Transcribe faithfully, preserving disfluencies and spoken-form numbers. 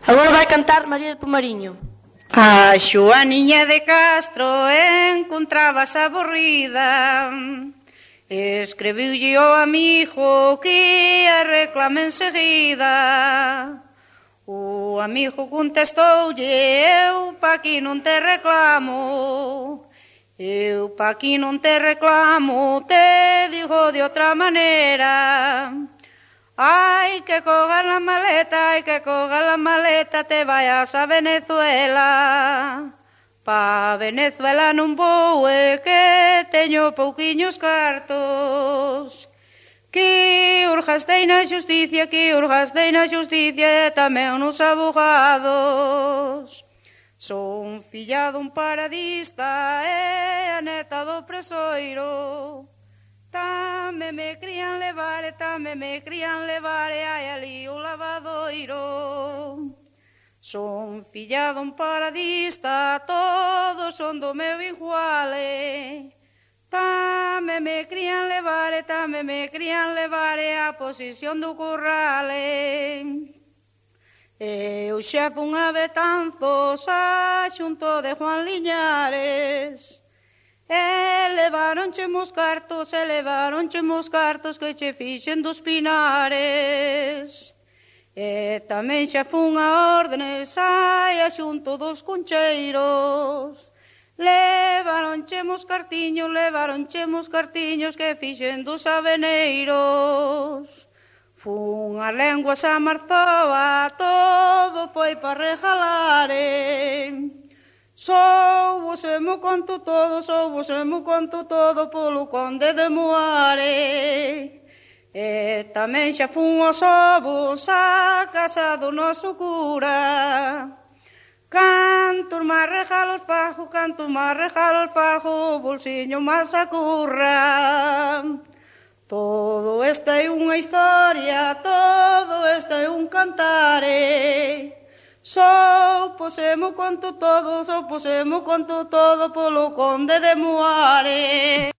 Agora vai cantar María de Pomariño. A Xoaniña de Castro encontrábase aburrida. Escribiulle ao amigo que a reclama enseguida. O amigo contestoulle: eu pa aquí non te reclamo, eu pa aquí non te reclamo, te digo de outra maneira. Ai, que cogas la maleta, ai, que cogas la maleta, te vayas a Venezuela. Pa Venezuela non vou, é que teño pouquiños cartos. Que urgastei na xusticia, que urgastei na xusticia, e tamén nos abogados. Son filla dun paradista e a neta do presoiro. Tame me crían levar, e tame me crían levar, e hai ali o lavadoiro. Son filla dun paradista, todos son do meu iguale. Tame me crían levar, e tame me crían levar, e a posición do currale. E o xefe unha Betanzos a xunto de Juan Liñares. E levaronche mos cartos, e levaronche mos cartos que che fixen dos pinares. E tamén xa fun a órdenes, ai, a xunto dos concheiros. Levaronche mos cartiños, levaronche mos cartiños que fixen dos aveneiros. Fun a lenguas a Marzoa, todo foi para regalare. Sou vos e mo conto todo, sou vos e mo conto todo polo conde de Moare. E tamén xa fun aos ovos a casa do noso cura. Cantos máis regalos fago, cantos máis regalos fago, o bolsiño máis acurra. Todo esta é unha historia, todo esta é un cantare. Sou posemo conto todo, sou posemo conto todo polo conde de Moare.